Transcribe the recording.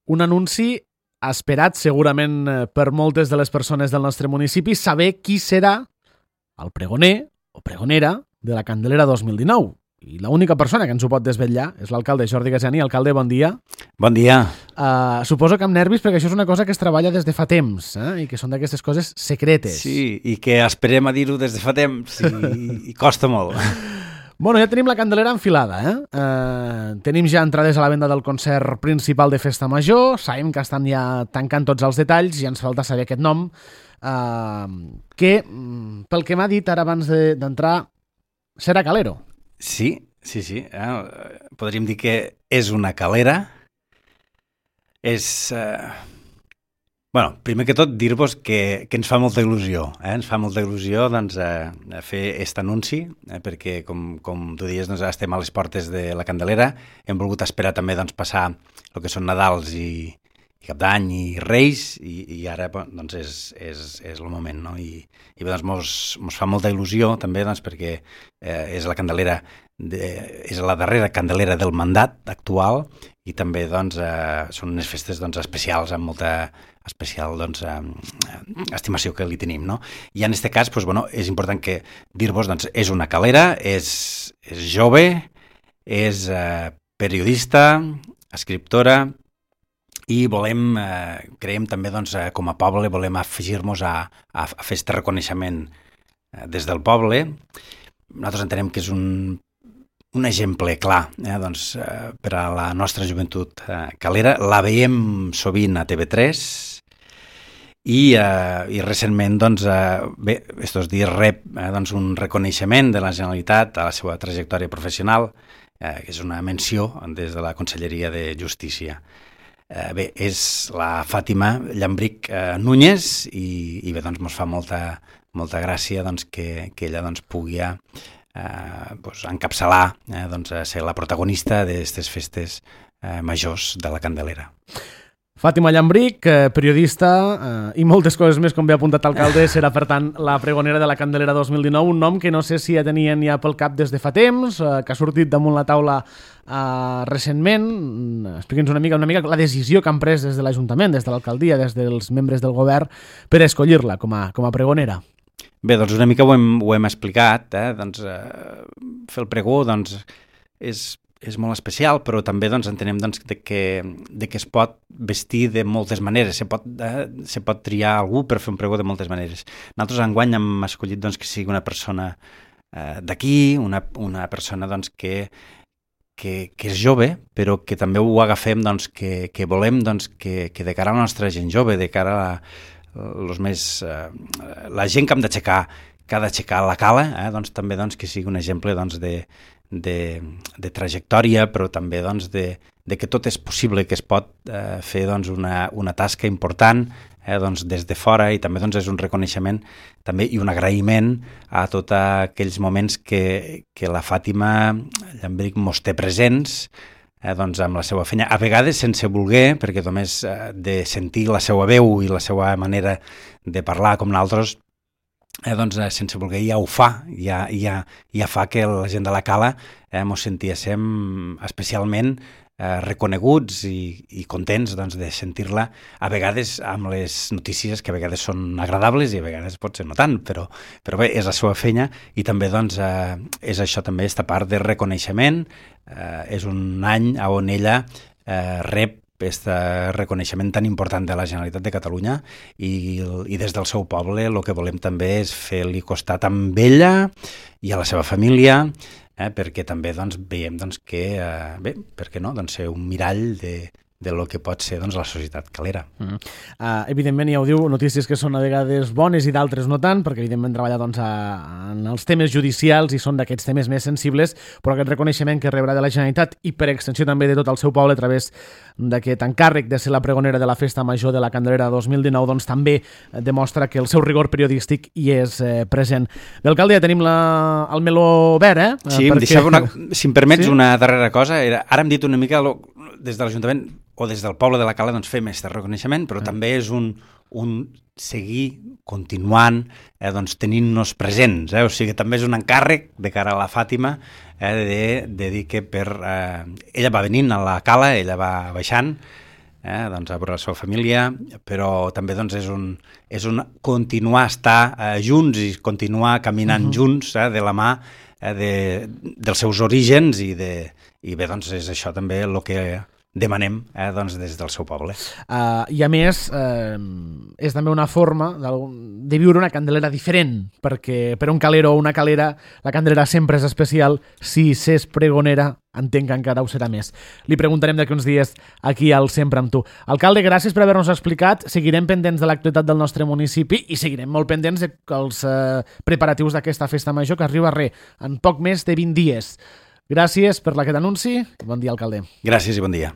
un anunci esperat segurament per moltes de les persones del nostre municipi, saber qui serà el pregoner o pregonera de la Candelera 2019. I l'única persona que ens ho pot desvetllar és l'alcalde Jordi Gasiani. Alcalde, bon dia. Bon dia. Suposo que amb nervis, perquè això és una cosa que es treballa des de fa temps, i que són d'aquestes coses secretes. Sí, i que esperem a dir-ho des de fa temps i costa molt. Bueno, ja tenim la Candelera enfilada, tenim ja entrades a la venda del concert principal de Festa Major, sabem que estan ja tancant tots els detalls i ens falta saber aquest nom, que, pel que m'ha dit ara abans d'entrar, serà Calero. Sí. Podríem dir que és una calera. Primer que tot, dir-vos que ens fa molta il·lusió. Ens fa molta il·lusió fer aquest anunci, perquè, com tu dius, estem a les portes de la Candelera. Hem volgut esperar també passar el que són Nadals i Cap d'Any i Reis, i ara és el moment, no? I mos fa molta il·lusió també perquè és la Candelera, és la darrera Candelera del mandat actual, i també són unes festes especials, amb molta especial estimació que li tenim, no? I en aquest cas és important que dir-vos és una calera, és jove, és periodista, escriptora, i creiem també com a poble, volem afegir-nos a fer aquest reconeixement des del poble. Nosaltres entenem que és un exemple clar per a la nostra joventut calera. La veiem sovint a TV3 i recentment, estos dies rep un reconeixement de la Generalitat a la seva trajectòria professional, que és una menció des de la Conselleria de Justícia. És la Fàtima Llambric Núñez i ens fa molta gràcia que ella pugui encapçalar, ser la protagonista d'aquestes festes majors de la Candelera. Fàtima Llambric, periodista i moltes coses més, com bé ha apuntat l'alcalde, serà, per tant, la pregonera de la Candelera 2019, un nom que no sé si ja tenien ja pel cap des de fa temps, que ha sortit damunt la taula recentment. Expliqui'ns una mica la decisió que han pres des de l'Ajuntament, des de l'alcaldia, des dels membres del govern, per escollir-la com a pregonera. Bé, una mica ho hem explicat. Fer el pregó és molt especial, però també entenem que es pot vestir de moltes maneres, se pot triar algú per fer un pregó de moltes maneres. Nosaltres enguany hem escollit que sigui una persona d'aquí, una persona que és jove, però que també ho agafem que volem que de cara a la nostra gent jove, de cara a la gent que ha d'aixecar la cala, també que sigui un exemple de trajectòria, però també de que tot és possible, que es pot fer una tasca important des de fora, i també és un reconeixement també i un agraïment a tots aquells moments que la Fàtima Llambric mos té presents amb la seva feina, a vegades sense voler, perquè només de sentir la seva veu i la seva manera de parlar com nosaltres, sense voler ja ho fa, ja fa que la gent de la cala mos sentíssim especialment reconeguts i contents de sentir-la, a vegades amb les notícies que a vegades són agradables i a vegades potser no tant, però bé, és la seva feina, i també és això també, aquesta part de reconeixement. És un any on ella rep aquest reconeixement tan important de la Generalitat de Catalunya, i des del seu poble el que volem també és fer-li costat amb ella i a la seva família, perquè també veiem que, bé, per què no, ser un mirall de lo que pot ser la societat calera. Evidentment, ja ho diu, notícies que són a vegades bones i d'altres no tant, perquè evidentment treballa en els temes judicials i són d'aquests temes més sensibles, però aquest reconeixement que rebrà de la Generalitat i per extensió també de tot el seu poble a través d'aquest encàrrec de ser la pregonera de la Festa Major de la Candelera 2019, també demostra que el seu rigor periodístic hi és present. Bé, alcalde, ja tenim el meló obert, Sí, si em permets una darrera cosa, ara hem dit una mica des de l'Ajuntament o des del poble de la Cala fem aquest reconeixement, però també és un seguir continuant tenint-nos presents, o sigui, també és un encàrrec de cara a la Fàtima de dir que ella va venint a la Cala, ella va baixant, doncs, a veure la seva família, però també doncs, és un continuar a estar junts i continuar caminant junts de la mà dels seus orígens i bé, doncs és això també el que demanem doncs, des del seu poble. I a més, és també una forma de viure una Candelera diferent, perquè per un calero o una calera la Candelera sempre és especial. Si s'és pregonera, entenc que encara ho serà més. Li preguntarem d'aquí uns dies aquí al Sempre amb tu. Alcalde, gràcies per haver-nos explicat. Seguirem pendents de l'actualitat del nostre municipi i seguirem molt pendents dels preparatius d'aquesta festa major que arriba en poc més de 20 dies. Gràcies per aquest anunci. Bon dia, alcalde. Gràcies i bon dia.